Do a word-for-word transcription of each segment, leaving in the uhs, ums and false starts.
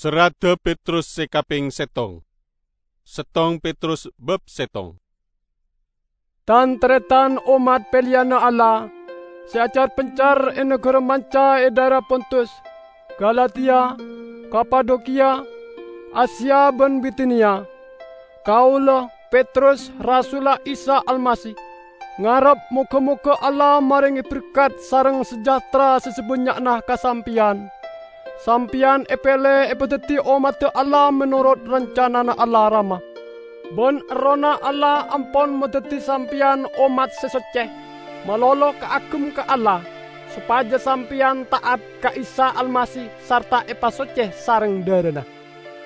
Serradda Petrus se kapeng settong. Settong Petrus bab settong. Tan-taretan ommat peleyanna Allah se acar-pencar e nagara manca e dhaera Pontus, Galatia, Kapadokia, Asia ban Bitinia. Kaula, Petrus, rasulla Isa Almasih, ngarep moga-moga Allah marenge berkat sareng sejahtera se sabannya'na ka sampeyan. Sampeyan epele epadaddi ommadda Allah menorot rancanana Allah Rama. Ban Errohna Allah ampon madaddi sampeyan ommat se socce, malolo kaagem ka Allah, sopaja sampeyan ta'at ka Isa Almasih sarta epasocce sareng dharana.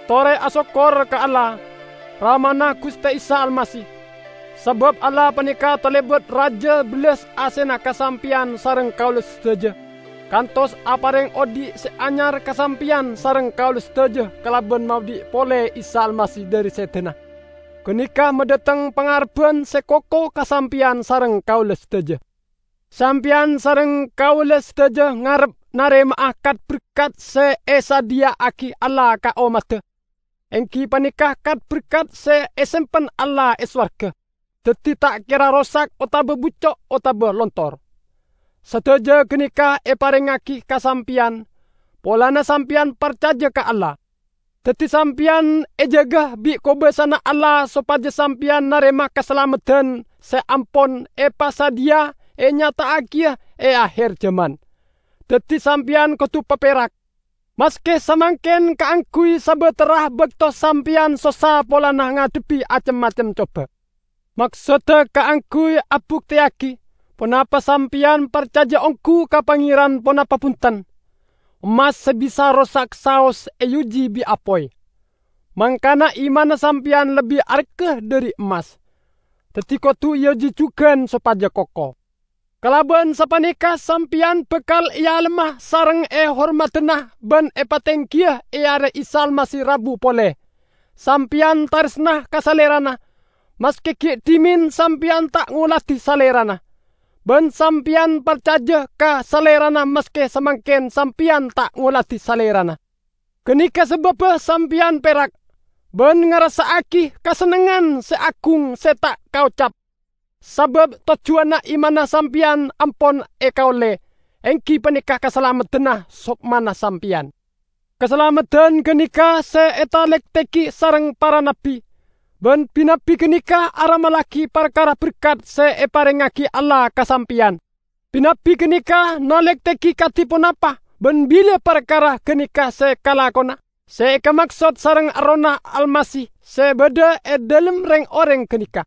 Tore asokkor ka Allah, Ramana Guste Isa Almasih, sabab Allah paneka talebat raja bellas asena ka sampeyan sareng kaula sadaja, kantos apareng odhi' se anyar ka sampeyan sareng kaula sadaja kalaban maodhi' pole Isa Almasih dhari sedana. Ganeka madhateng pangarebban se koko ka sampeyan sareng kaula sadaja. Sampeyan sareng kaula sadaja ngarep narema'a kat-berkat se esadhiya'agi Allah ka ommadda, enggi paneka kat-berkat se esempen Allah e sowarga, daddi ta' kera rosak otaba bucco' otaba lontor. Sadaja ganeka eparengngagi ka sampeyan polana sampeyan parcaja ka Allah. Daddi sampeyan ejaga bi' kobasana Allah sopaja sampeyan narema kasalameddan se ampon epasadhiya enyata'agiya e aher jaman. Daddi sampeyan kodu paperak, maske samangken kaangguy sabatara bakto sampeyan sossa polana ngadhebbi cem-macem coba. Maksodda kaangguy abukteyagi ponapa sampeyan parcaja onggu ka Pangeran ponapa bunten. Emmas se bisa rosak saos eoji bi' apoy. Mangkana imanna sampeyan lebbi aregga dhari emmas. Daddi kodu eoji jugan sopaja koko. Kalaban sapaneka sampeyan bakal ealemma sareng ehormadana ban epatenggiya e are Isa Almasih rabu pole. Sampeyan taresna ka Salerana, maske gi' dhimen sampeyan ta' ngoladi Salerana. Ban sampeyan parcaja ka Salerana maske samangken sampeyan ta' ngoladi Salerana. Ganeka sababba sampeyan perak, ban ngarassa'agi kasennengngan se agung se ta' kaocap. Sabab tojjuwanna imanna sampeyan ampon ekaolle, enggi paneka kasalameddanna sokmana sampeyan. Kasalameddan ganeka se etalektekke sareng para nabbi, ban bi-nabbi ganeka aramallagi parkara berkat se eparengngagi Allah ka sampeyan. Bi-nabbi ganeka nalektekke kadi ponapa ban bilâ parkara ganeka se kalakona. Se ekamaksod sareng Errohna Almasih se badha e dhalem reng-oreng ganeka.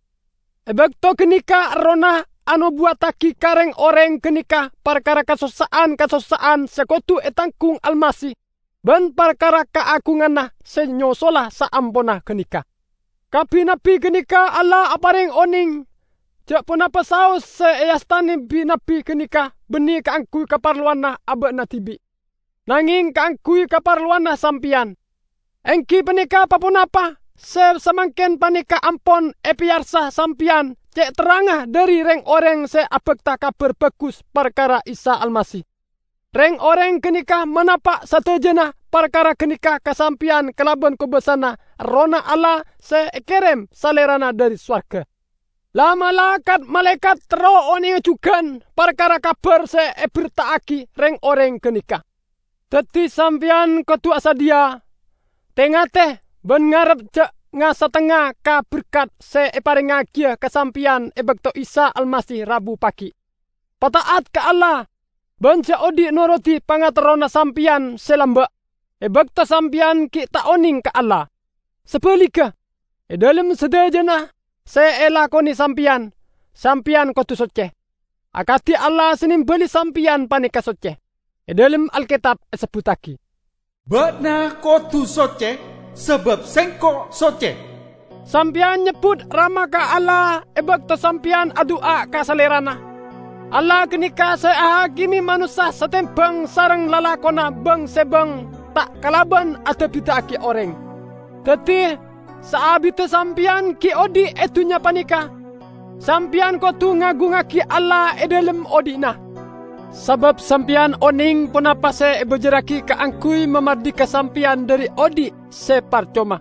E bakto ganeka Errohna anobuwattagi ka reng-oreng ganeka parkara kasossa'an-kasossa'an se kodu etanggung Almasih ban parkara kaagunganna se nyosola saamponna ganeka. Ka bi-nabbi ganeka Allah apareng oneng ja' ponapa saos se eastane bi-nabbi ganeka banne kaangguy kaparlowanna aba'na dibi'. Nangeng kaangguy kaparlowanna sampeyan. Enggi paneka pa-ponapa se samangken paneka ampon epeyarsa sampeyan ce' terrangnga dhari reng-oreng se abakta Kabar Bagus parkara Isa Almasih. Reng-oreng ganeka manapa' sadajana parkara ganeka ka sampeyan kalaban kobasana Errohna Allah se ekerem Salerana dhari sowarga. La-mala kat-malaekat terro onenga jugan parkara kabar se eberta'agi reng-oreng ganeka. Daddi sampeyan kodu asadhiya, te-ngate, ban ngarep ja' nga-satengnga ka berkat se eparengngagiya ka sampeyan e bakto Isa Almasih rabu pagi'. Pata'at ka Allah, ban ja' odhi' norodi pangaterrona sampeyan se lamba', e bakto sampeyan gi' ta' oneng ka Allah. Sabaligga, e dhalem sadajana se elakone sampeyan, sampeyan kodu socce, akadi Allah se nembali sampeyan paneka socce. E dhalem Alketab esebbuttagi, "Ba'na kodu socce, sabab Sengko' socce." Sampeyan nyebbut Rama ka Allah e bakto sampeyan adu'a ka Salerana. Allah ganeka se ahakime manossa satembang sareng lalakonna bang-sebang ta' kalaban adabida'agi oreng. Daddi, saabidda sampeyan gi' odhi' e dunnya paneka, sampeyan kodu ngagungngagi Allah e dhalem odhi'na. sabâb sampèyan onèng ponapa sè èbâjârraghi kaangghuy mamardhika sampèyan dhâri odi' sè parcoma.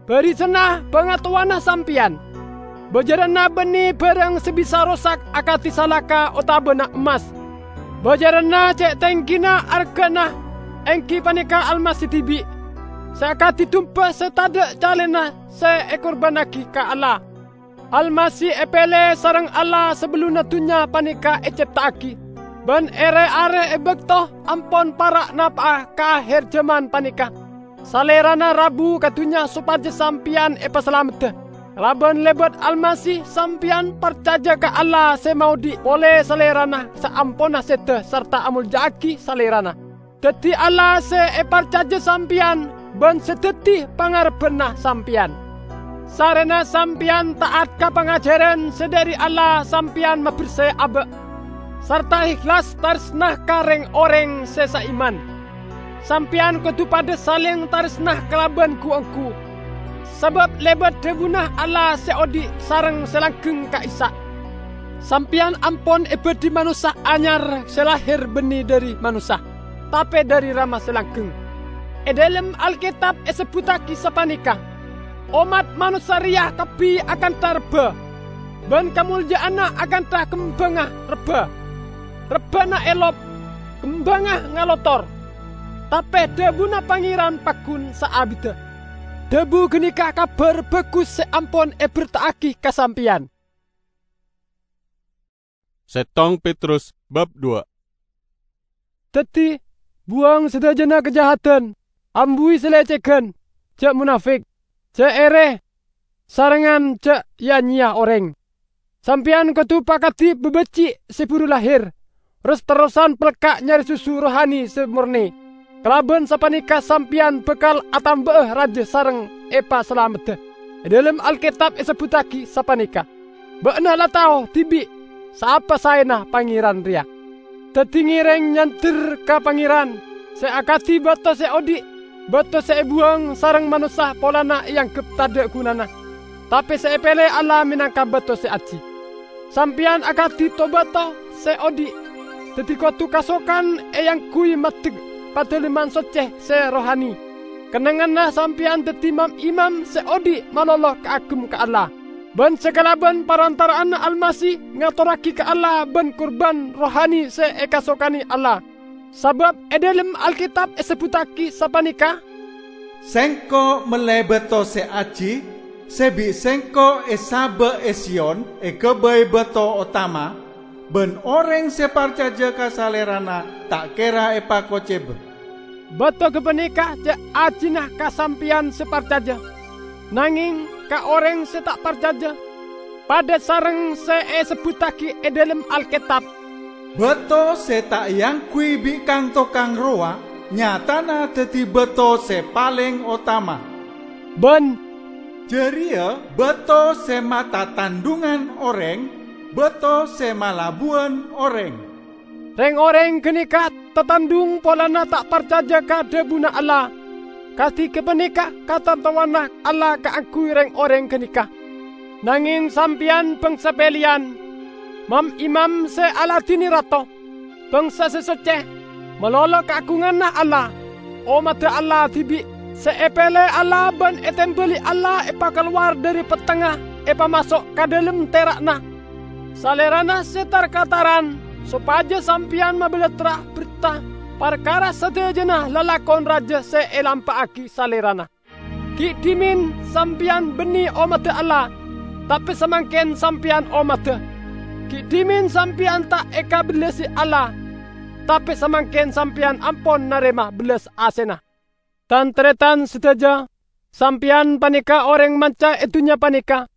Bârisana bhângatowana sampèyan. Bâjârânna bânnè bhârâng sè bisa rosak akadhi salaka otabâna emmas. Bâjârânna cè' tèngghina arghâna, èngghi panèka Almasih dhibi', sè akadhi dumba sè tadâ' calèna sè èkorbhânnaghi ka Allah. Almasih èpèlè sareng Allah sabellunna dhunnya panèka ècèpta'aghi, bân è rè-arè è bâkto ampon para' napa'a ka aher jhâman panèka. Salèrana rabu ka dhunnya sopajâ sampèyan èpasalameddhâ. Kalabân lèbât Almasih, sampèyan parcajâ ka Allah sè maodhi' polè Salèrana saamponna sèdhâ sarta amolja'aghi Salèrana. Dhâddhi Allah sè èparcajâ sampèyan bân sè dhâddhi pangarebbhânna sampèyan. Sarèna sampèyan ta'at ka pangajhârân sè dhâri Allah, sampèyan mabersè abâ', sarta èhlas tarèsna ka rèng-orèng sè saiman. Sampèyan kodhu padâ salèng tarèsna kalabân ghu-ongghu, sabâb lèbât dhâbuna Allah sè odhi' sareng sè langgeng ka'issa'. Sampèyan ampon èbâdhi manossa anyar sè lahèr bânnè dhâri manossa, tapè dhâri Rama sè langgeng. È dhâlem Alkètab èsebbhuttaghi sapanèka, "Ommat manossa rèya kabbhi akantha rebbhâ, bân kamolja'anna akantha kembhângnga rebbhâ. Rebbhâna èlop, kembhângnga ngalotor, tapè dhâbuna Pangèran paggun saabiddhâ." Dhâbu ghânèka Kabhâr Bhâghus sè ampon èberta'aghi ka sampèyan. Settong Petrus bab dua. Dhâddhi, buwâng sadhâjâna kajahadan, ambuwi salècèghân, jhâ' monafèk, jhâ' èrè, sarengngan jhâ' ya-nyeya orèng. Sampèyan kodhu pakadhi bâbâji' sè buru lahèr, ros-terrosan pelka' nyarè susu rohani sè morne. Kalabân sapanèka sampèyan bhâkal atambâ'â rajâ sareng èpasalameddhâ. È dhâlem Alkètab èsebbhuttaghi sapanèka, "Bâ'na la tao dhibi' saapa saèna Pangèran rèya. Dhâddhi ngèrèng nyandher ka Pangèran, sè akadhi bâto sè odhi', bâto sè èbuwâng sareng manossa polana èangghep tadâ' ghunana, tapè sè èpèlè Allah mènangka bâto sè ajhi. Sampèyan akadhi to-bâto sè odhi', dhâddhi kodhu kasokan èangghuy maddhek Padalemman Soccè sè rohani. Kennengnganna sampèyan dhâddhi mam-imam sè odhi' malolo kaagem ka Allah. Bân sakalabân parantara'anna Almasih ngatorragi ka Allah bân kurban rohani sè èkasokanè Allah. Sabâb è dhâlem Alkètab èsebbhuttaghi sapanèka, 'Sèngko' mellè bâto sè ajhi, sè bi' Sèngko' èsabâ' è Siyon èghâbây bâto otama, bân orèng sè parcajâ ka Salèrana ta' kèra èpakocèbâ.' Bâto ghâpanèka jhâ' ajhina ka sampèyan sè parcajâ, nangèng ka orèng sè ta' parcajâ, padâ sareng sè èsebbhuttaghi è dhâlem Alkètab, 'Bâto sè ta' èangghuy bi' kang-tokang rowa nyatana dhâddhi bâto sè palèng otama.' Bân, 'Jârèya bâto sè matatandhungan orèng, bâto sè malabuwân orèng.' Rèng-orèng ghânèka tatandhung polana ta' parcajâ ka dhâbuna Allah. Kadhi ghâpanèka katantowanna Allah kaangghuy rèng-orèng ghânèka. Nangèng sampèyan bhângsa pèlèyan, mam-imam sè aladhinè Rato, bhângsa sè soccè, malolo kaagunganna Allah, ommaddhâ Allah dhibi', sè èpèlè Allah bân ètèmbâli Allah èpakalowar dhâri pettengnga èpamaso' ka dhâlem tèra'na. Salèrana sè tar-kataran, sopajâ sampèyan mabalattra bertha parkara sadhâjâna lalakon rajâ sè èlampa'aghi Salèrana. Gi' dhimèn sampèyan bânnè ommaddhâ Allah, tapè samangkèn sampèyan ommaddhâ. Gi' dhimèn sampèyan ta' èkabellasi Allah, tapè samangkèn sampèyan ampon narèma bellas asèna. Tan-tarètan sadhâjâ, sampèyan panèka orèng manca è dhunnya panèka.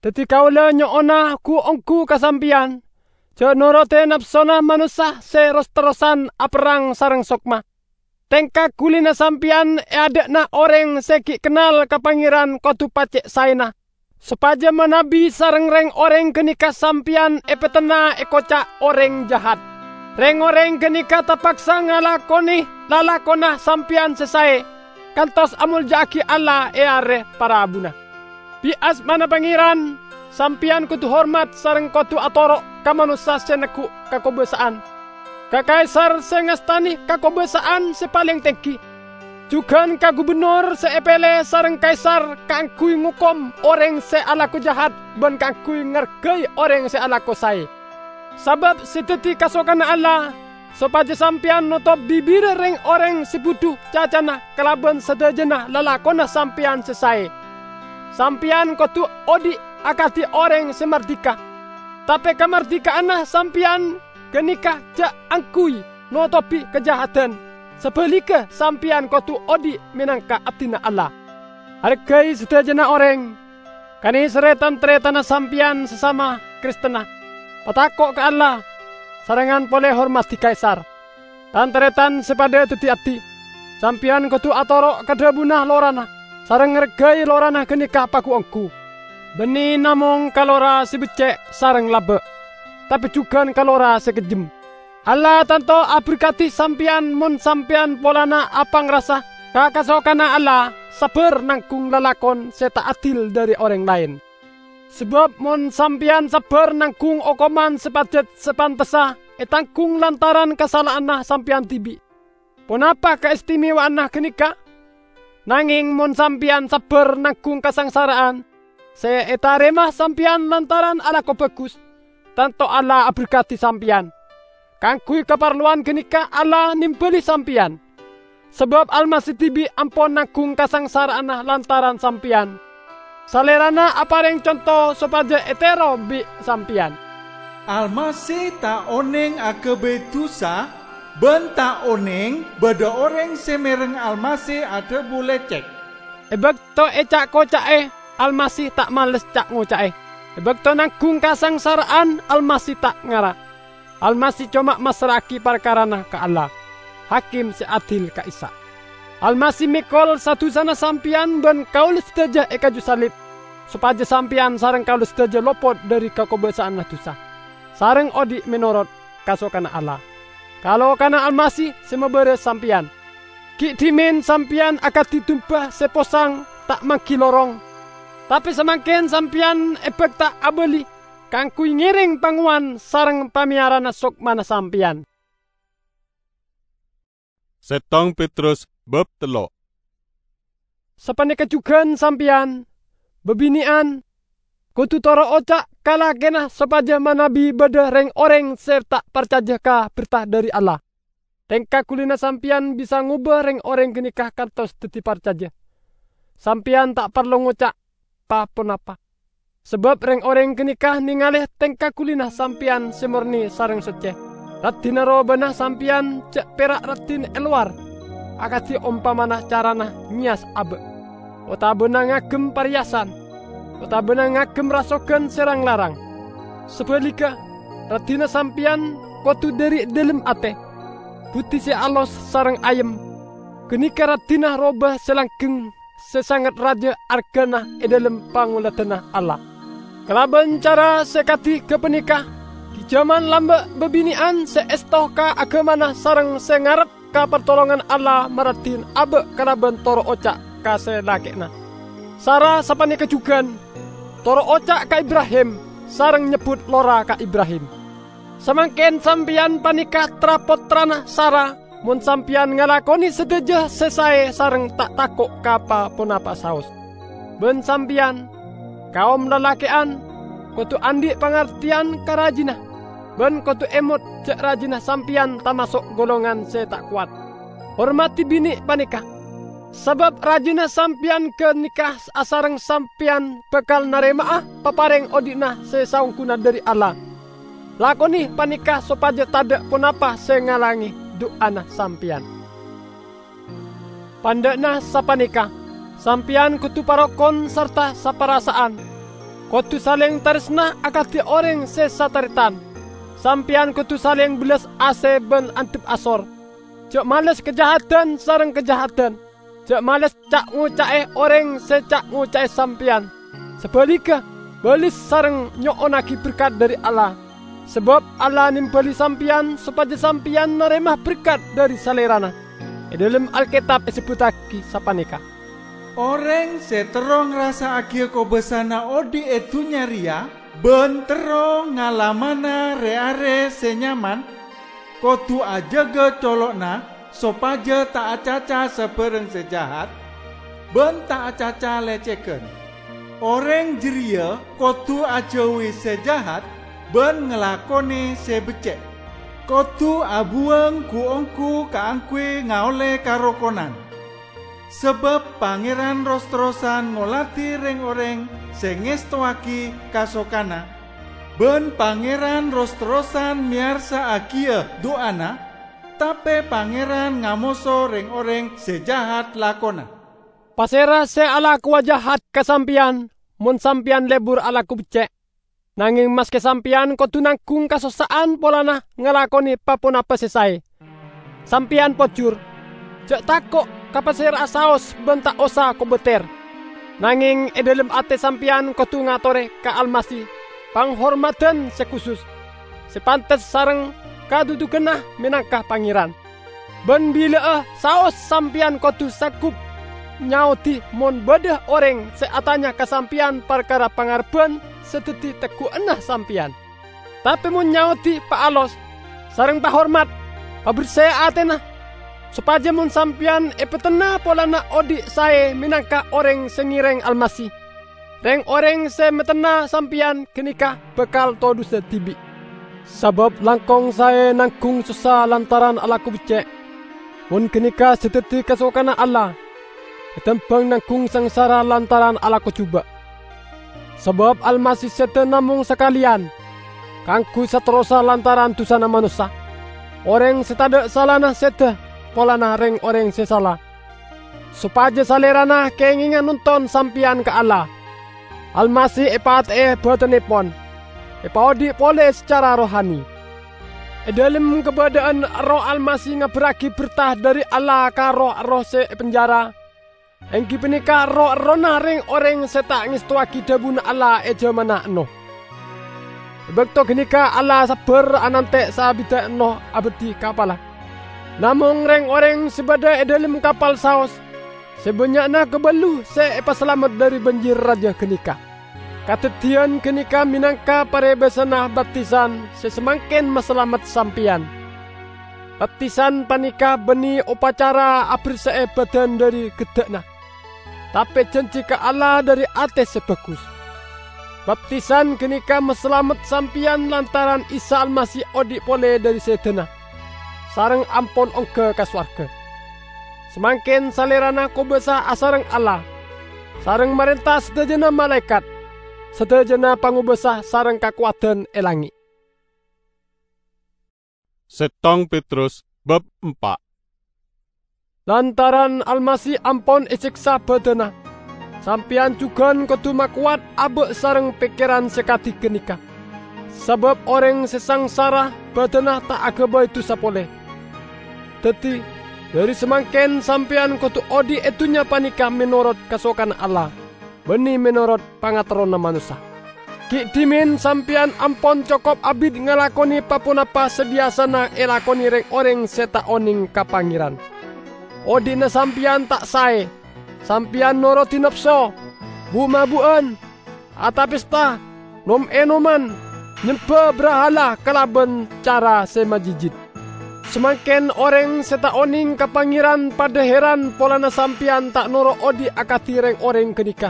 Dhâddhi kaulâ nyo'ona ghu-ongghu ka sampèyan, jhâ' noroddhi napsona manossa sè ros-terrosan aperrang sareng sokma. Tèngka ghulina sampèyan è adâ'na orèng sè gi' kennal ka Pangèran kodhu pacè' saèna, sopajâ manabi sareng rèng-orèng ghânèka sampèyan èpètenna èkoca' orèng jahat. Rèng-orèng ghânèka tapaksa ngalakonè lalakonna sampèyan sè saè, kantos amolja'aghi Allah è arè parabuna. Bi' asmana Pangèran, sampèyan kodhu hormat sareng kodhu atoro' ka manossa sè neggu' kakobâsa'an. ka Kaisar se ngastane kakobasa'an se paleng tenggi, jugan ka gubennor se epele sareng Kaisar kaangguy ngokom oreng se alako jahat ban kaangguy ngargai oreng se alako sae. Sabab se daddi kasokanna Allah, sopaja sampeyan notop bibirra reng-oreng se budhu cacana kalaban sadajana lalakonna sampeyan se sae. Sampeyan kodu odhi' akadi oreng se mardika, tape kamardika'anna sampeyan ganeka ja' angguy notobi kajahadan. Sabaligga, sampeyan kodu odhi' menangka abdina Allah. Argai sadajana oreng, kaneserre tan-taretanna sampeyan sasama Kristenna. Patako' ka Allah, sarengngan pole hormadi Kaisar. Tan-taretan se padha daddi abdi, sampeyan kodu atoro' ka dhabuna lorana, sareng ngargai lorana ganeka pagu-onggu. Banne namong ka lora se becce' sareng laba', tape jugan ka lora se kejjem. Allah tanto aberkadi sampeyan mon sampeyan polana apangrasa ka kasokanna Allah, sabbar nanggung lalakon se ta' adil dhari oreng laen. Sabab mon sampeyan sabbar nanggung okoman se pajat se pantessa etanggung lantaran kasala'anna sampeyan dibi', ponapa kaestimewaanna ganeka? Nangeng mon sampeyan sabbar nanggung kasangsara'an se etarema sampeyan lantaran alako bagus, tanto Allah aberkadi sampeyan. Kaangguy kaparlowan ganeka Allah nembali sampeyan. Sabab Almasih dibi' ampon nanggung kasangsara'anna lantaran sampeyan. Salerana apareng conto sopaja etero bi' sampeyan. Almasih ta' oneng agabay dusa, ban ta' oneng badha oreng se mereng Almasih adhabu lecek. E bakto eca'-koca'e, Almasih ta' males ca'-ngoca'e. E bakto nanggung kasangsara'an, Almasih ta' ngara. Almasih coma massra'agi parkarana ka Allah, Hakim se adil ka'issa'. Almasih mekol sa-dusana sampeyan ban kaula sadaja e kaju salib, sopaja sampeyan sareng kaula sadaja lopot dhari kakobasa'anna dusa, sareng odhi' menorot kasokanna Allah. Kalokana Almasih se mabaras sampeyan. Gi' dhimen sampeyan akadi dumba se posang ta' manggi lorong, tape samangken sampeyan ebakta abali kaangguy ngereng pangowan sareng pameyarana sokmana sampeyan. Settong Petrus bab tello'. Sapaneka jugan sampeyan, babine'an, kodu toro' oca' ka lakena sopaja manabi badha reng-oreng se ta' parcaja ka berta dhari Allah. Tengka gulina sampeyan bisa ngoba reng-oreng ganeka kantos daddi parcaja. Sampeyan ta' parlo ngoca' pa-ponapa, sabab reng-oreng ganeka nengale tengka gulina sampeyan se morne sareng socce. Raddhinna robana sampeyan ja' pera' raddhin e lowar, akadi ompamana carana nyeyas aba', otabana ngagem pareyasan, otabana ngagem rasogan se rang-larang. Sabaligga, raddhinna sampeyan kodu dhari dhalem ate, budhi se alos sareng ayem. Ganeka raddhinna roba se langgeng se sanget raja argana e dhalem pangoladanna Allah. Kalaban cara se kadi gapaneka, gi' jaman lamba' babine'an se esto ka agamana sareng se ngarep ka partolongan Allah maraddhin aba' kalaban toro' oca' ka se lake'na. Sara sapaneka jugan, toro' oca' ka Ibrahim, sareng nyebbut lora ka Ibrahim. Samangken sampeyan paneka tra-pottrana Sara, mon sampeyan ngalakone sadaja se sae sareng ta' tako' ka pa-ponapa saos. Ban sampeyan, kaom lalake'an, kodu andhi' pangarteyan ka rajina, ban kodu emot ja' rajina sampeyan tamaso' golongan se ta' kowat. Hormadi bine' paneka, sabab rajina sampeyan ganeka asareng sampeyan bakal narema'a papareng odhi'na se saongghuna dhari Allah. Lakone paneka sopaja tadha' ponapa se ngalange du'ana sampeyan. Pandha'na sapaneka, sampeyan kodu parokon sarta saparasa'an. Kodu saleng taresna akadi oreng se sataretan. Sampeyan kodu saleng bellas ase ban andhep asor. Ja' males kajahadan sareng kajahadan. Ja' males ca'-ngoca'e oreng se ca'-ngoca'e sampeyan. Sabaligga, balis sareng nyo'onnagi berkat dhari Allah. Sabab Allah nembali sampeyan sopaja sampeyan narema berkat dhari Salerana. E dhalem Alketab esebbuttagi sapaneka, "Oreng se terro ngrasa'agiya kobasana odhi' e dunnya reya ban terro ngalamana re-are se nyaman, Kodhu ajâgâ colo'na sopajâ ta' acaca sabârâng sè jahat, bân ta' acaca lècèghân. Orèng jârèya kodhu ajâuwi sè jahat bân ngalakonè sè beccè'. Kodhu abuwâng ghu-ongghu kaangghuy ngaollè karokonan. Sabâb Pangèran ros-terrosan ngolatè rèng-orèng sè ngèstowaghi kasokanna, bân Pangèran ros-terrosan mèyarsa'aghiyâ du'ana, tapè Pangèran ngamoso rèng-orèng sè jahat lakona. Pasèra sè alakowa jahat ka sampèyan, mon sampèyan lebur alako beccè'? Nangèng maskè sampèyan kodhu nangghung kasossa'an polana ngalakonè pa-ponapa sè saè, sampèyan pojhur. Jhâ' tako' ka pasèra'a saos bân ta' osa kobâtèr. Nangèng è dhâlem atè sampèyan kodhu ngatorè ka Almasih panghormadhân sè khusus, sè pantes sareng kadhudhughânna mènangka Pangèran. Bân bilâ'â saos sampèyan kodhu sanggup nyaodhi mon bâdâ orèng sè atanya ka sampèyan parkara pangarebbhân sè dhâddhi tegghu'ânna sampèyan. Tapè mon nyaodhi paalos sareng pahormat, paberse atèna, sopajâ mon sampèyan èpetenna polana odhi' saè mènangka orèng sè ngèrèng Almasih. Rèng-orèng sè matenna sampèyan ghânèka bhâkal todhusa dhibi', sabâb langkong saè nangghung sossa lantaran alako beccè'. Mon ghânèka sè dhâddhi kasokanna Allah, ètembhâng nangghung sangsara lantaran alako jhubâ'. Sabâb Almasih sèdhâ namong sakalèyan kaangghuy saterrossa lantaran dhusana manossa. Orèng sè tadâ' salana sèdhâ polana rèng-orèng sè sala, sopajâ Salèrana kèngènga nonton sampèyan ka Allah. Almasih èpatè'è bhâdhânnèpon, èpaodhi' polè sacara rohani. È dhâlem kabâdâ'ân Erroh Almasih ngabbherraghi berta dhâri Allah ka roh-erroh sè è penjara, èngghi panèka roh-errohna rèng-orèng sè ta' ngèstowaghi dhâbuna Allah è jhâmanna Ennoh. È bâkto ghânèka Allah sabbhâr anantè' saabidda Ennoh abâdhi kapalla. Namong rèng-orèng sè bâdâ è dhâlem kapal saos sè bânnya'na kabâllu sè èpasalamet dhâri bânjir rajâ ghânèka. Kadhâddhiyân ghânèka mènangka parèbâsanna baptisan sè samangkèn masalamet sampèyan. Baptisan panèka bânnè opacara aberse'è bhâdhân dhâri gheddhâ'na, tapè janji ka Allah dhâri atè sè bhâghus. Baptisan ghânèka masalamet sampèyan lantaran Isa Almasih odhi' polè dhâri sèdhâna, sareng ampon ongghâ ka sowarghâ. Samangkèn Salèrana kobâsa asareng Allah, sareng marènta sadhâjâna malaèkat, sadhâjâna pangobâsa sareng kakowadhân è langngè'. Settong Petrus bab empa'. Lantaran Almasih ampon èsèksa bhâdhânna, sampèyan jhughân kodhu makowat abâ' sareng pèkkèran sè kadhi ghânèka. Sabâb orèng sè sangsara bhâdhânna ta' aghâbây dhusa polè. Dhâddhi, dhâri samangkèn sampèyan kodhu odhi' è dhunnya panèka mènorot kasokanna Allah, bânnè mènorot pangaterrona manossa. Ghi' dhimèn sampèyan ampon cokop abit ngalakonè pa-ponapa sè biyasana èlakonè rèng-orèng sè ta' onèng ka Pangèran. Odhi'na sampèyan ta' saè. Sampèyan norodhi napso, bu'-mabu'an, atapesta, nom-ènoman, nyembhâ brahala kalabân cara sè majijit. Samangkèn orèng sè ta' onèng ka Pangèran padâ hèran polana sampèyan ta' noro' odhi' akadhi rèng-orèng ghânèka,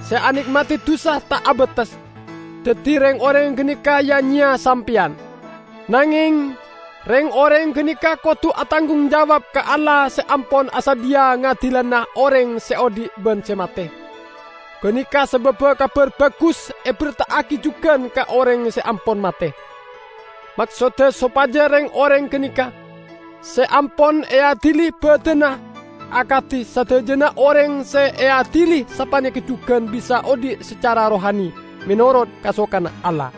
sè anèkmadhi dhusa ta' abâtes. Dhâddhi rèng-orèng ghânèka ya-nyeya sampèyan. Nangèng, rèng-orèng ghânèka kodhu atanggung jawab ka Allah sè ampon asadhiyâ ngadilana orèng sè odhi' bân sè matè. Ghânèka sabâbbhâ Kabhâr Bhâghus èberta'aghi jhughân ka orèng sè ampon matè. Maksodda sopajâ rèng-orèng ghânèka sè ampon èadili bhâdhânna akadhi sadhâjâna orèng sè èadili sapanèka jhughân bisa odhi' sacara rohani mènorot kasokanna Allah.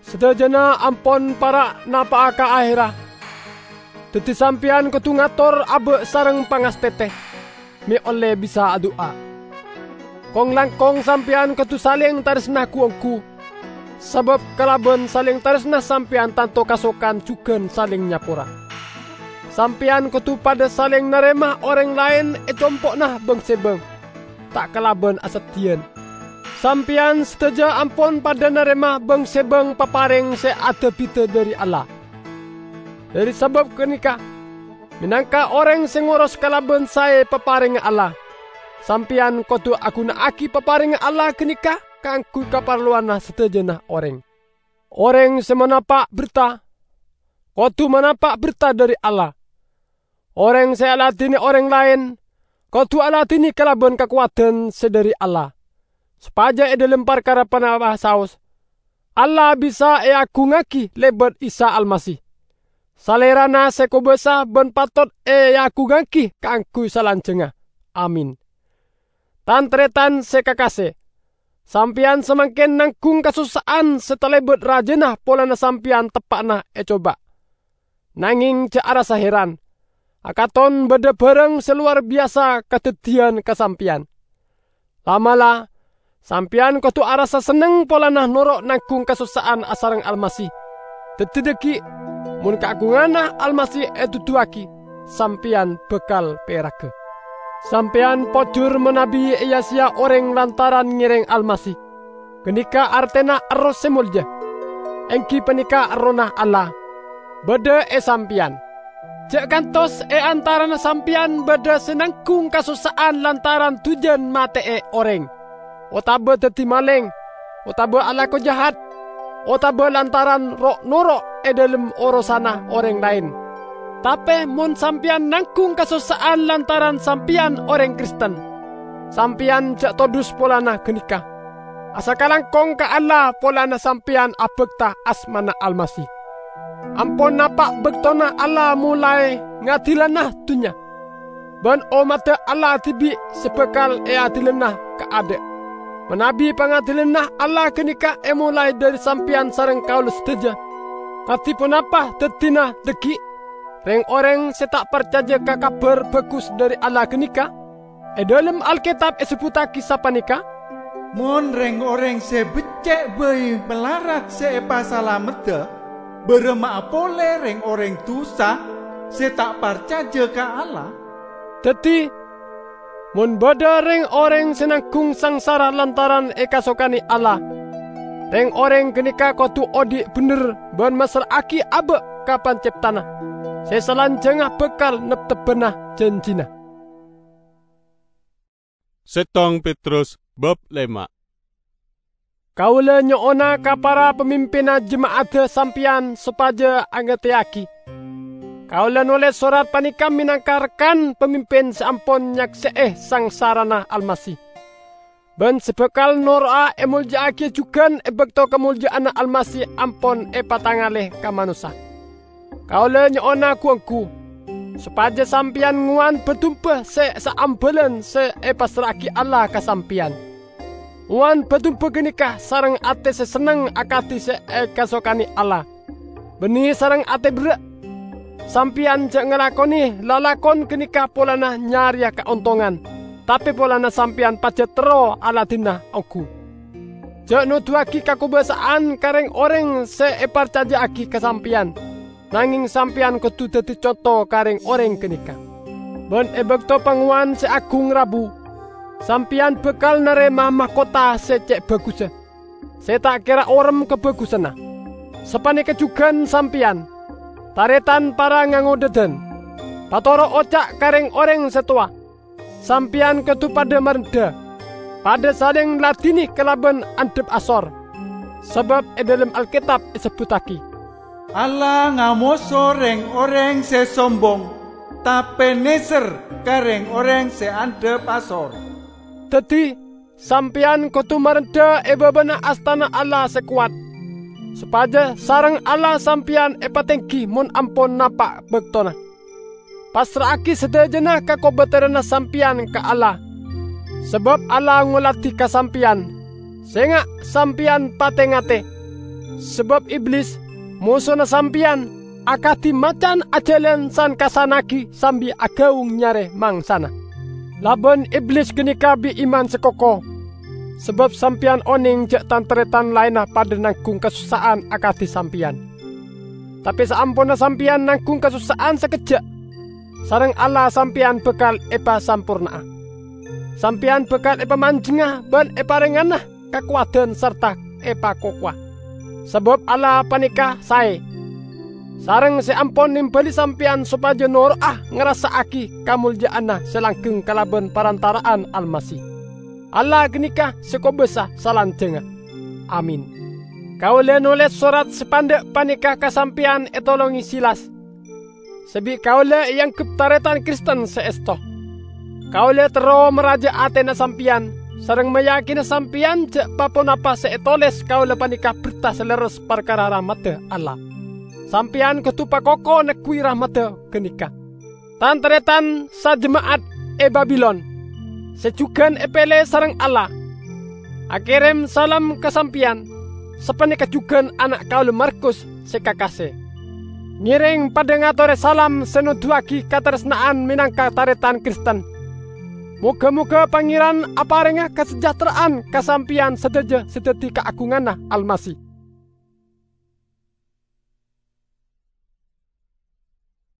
Sadhâjâna ampon para' napa'a ka ahèrra. Dhâddhi sampèyan kodhu ngator abâ' sareng pangastètè, mè' ollè bisa adu'a. Kong-langkong sampèyan kodhu salèng tarèsna ghu-ongghu, sabâb kalabân salèng tarèsna sampèyan tanto kasokan jhughân salèng nyapora. Sampèyan kodhu padâ salèng narèma orèng laèn è compo'na bâng-sèbâng, ta' kalabân aseddhiyân. Sampèyan sadhâjâ ampon padâ narèma bâng-sèbâng paparèng sè ada-bhidhâ dhâri Allah. Dhari sabab ganeka, menangka oreng se ngoros kalaban sae paparengnga Allah, sampeyan kodu aguna'agi paparengnga Allah ganeka kaangguy kaparlowanna sadajana oreng. Oreng se manapa' berta, kodu manapa' berta dhari Allah. Oreng se aladine oreng laen, kodu aladine kalaban kakowadan se dhari Allah, sopaja e dhalem parkara ponapa saos, Allah bisa eagungngagi lebat Isa Almasih. Salerana se kobasa ban patot eagungngagi kaangguy salanjangnga. Amin. Tan-taretan se kakase, sampeyan samangken nanggung kasossa'an se talebat rajana polana sampeyan teppa'na ecoba. Nangeng ja' arassa heran, akaton badha barang se lowar biyasa kadaddiyyan ka sampeyan. La'-mala', sampeyan kodu arassa senneng polana noro' nanggung kasossa'an asareng Almasih. Daddi dhaggi', mon kaagunganna Almasih eduduwagi, sampeyan bakal peragga. Sampeyan pojur manabi eya-seya oreng lantaran ngereng Almasih. Ganeka artena erroh se molja, enggi paneka Errohna Allah, badha e sampeyan. Ja' kantos e antarana sampeyan badha se nanggung kasossa'an lantaran dujan mate'e oreng, otaba daddi maleng, otaba alako jahat, otaba lantaran ro'-noro' e dhalem orosanna oreng laen. Tape mon sampeyan nanggung kasossa'an lantaran sampeyan oreng Kristen, sampeyan ja' todus polana ganeka. Asakalangkong ka Allah polana sampeyan abakta asmana Almasih. Ampon napa' baktona Allah molae ngadilana dunnya, ban ommadda Allah dibi' se bakal eadilana kaadha'. Manabi pangadilanna Allah ganeka emolae dhari sampeyan sareng kaula sadaja, kadi ponapa daddina dhaggi'? Reng-oreng se ta' parcaja ka Kabar Bagus dhari Allah ganeka. E dhalem Alketab esebbuttagi sapaneka, "Mon reng-oreng se becce' bai malarat se epasalameddha, baramma'a pole reng-oreng dusa se ta' parcaja ka Allah?" Daddi, mon badha reng-oreng se nanggung sangsara lantaran ekasokane Allah, reng-oreng ganeka kodu odhi' bendher ban massra'agi aba' ka Panceptana, se salanjangnga bakal neptebbana janjina. Settong Petrus bab lema. Kaula nyo'ona ka para pamimpinna jema'adda sampeyan sopaja angateyagi. Kaula noles sorat paneka menangka rekan pamimpin se ampon nyakse'e sangsarana Almasih, ban se bakal noro'a emolja'agiya jugan e bakto kamolja'anna Almasih ampon epatangale ka manossa. Kaula nyo'ona gu-onggu, sopaja sampeyan ngowan ba-dumba se saambalan se epassra'agi Allah ka sampeyan. Ngowan ba-dumba ganeka sareng ate se senneng akadi se ekasokane Allah, banne sareng ate berra'. Sampeyan ja' ngalakone lalakon ganeka polana nyareya kaontongan, tape polana sampeyan pajat terro aladina onggu. Ja' noduwagi kakobasa'an ka reng-oreng se eparcaja'agi ka sampeyan, nangeng sampeyan kodu daddi conto ka reng-oreng ganeka. Ban e bakto pangowan se agung rabu, sampeyan bakal narema mahkota se ce' bagussa, se ta' kera orem kabagussanna. Sapaneka jugan sampeyan, taretan para ngangodhadan, patoro' oca' ka reng-oreng se towa. Sampeyan kodu padha marendha, padha saleng ladine kalaban andhap asor. Sabab e dhalem Alketab esebbuttagi, "Allah ngamoso reng-oreng se sombong, tape neser ka reng-oreng se andhap asor." Daddi, sampeyan kodu marendha e babana astana Allah se kowat, sopaja sareng Allah sampeyan epatenggi mon ampon napa' baktona. Passra'agi sadajana kakobateranna sampeyan ka Allah, sabab Allah ngoladi ka sampeyan. Senga' sampeyan pate-ngate, sabab Iblis, mosona sampeyan, akadi macan ajalan san-kassannagi sambi agaung nyare mangsana. Laban Iblis ganeka bi' iman se koko, sabab sampeyan oneng ja' tan-taretan laenna padha nanggung kasossa'an akadi sampeyan. Tape saamponna sampeyan nanggung kasossa'an sakejja', sareng Allah sampeyan bakal epasamporna'a. Sampeyan bakal epamanjengnga ban eparengngana kakowadan sarta epakokowa. Sabab Allah paneka sae, sareng se ampon nembali sampeyan sopaja noro'a ngarassa'agi kamolja'anna se langgeng kalaban parantara'an Almasih. Allah ganeka se kobasa salanjangnga. Amin. Kaula noles sorat se pandha' paneka ka sampeyan etolonge Silas, se bi' kaula eanggep taretan Kristen se esto. Kaula terro maraja atena sampeyan, sareng mayakina sampeyan ja' pa-ponapa se etoles kaula paneka berta se lerres parkara rahmadda Allah. Sampeyan kodu pakoko neggu'i rahmadda ganeka. Tan-taretan sajema'at e Babilon, se jugan epele sareng Allah, akerem salam ka sampeyan, sapaneka jugan ana' kaula Markus se kakase. Ngereng padha ngatore salam se noduwagi kataresna'an menangka taretan Kristen. Moga-moga Pangeran aparenga kasejahtera'an ka sampeyan sadaja se daddi kaagunganna Almasih.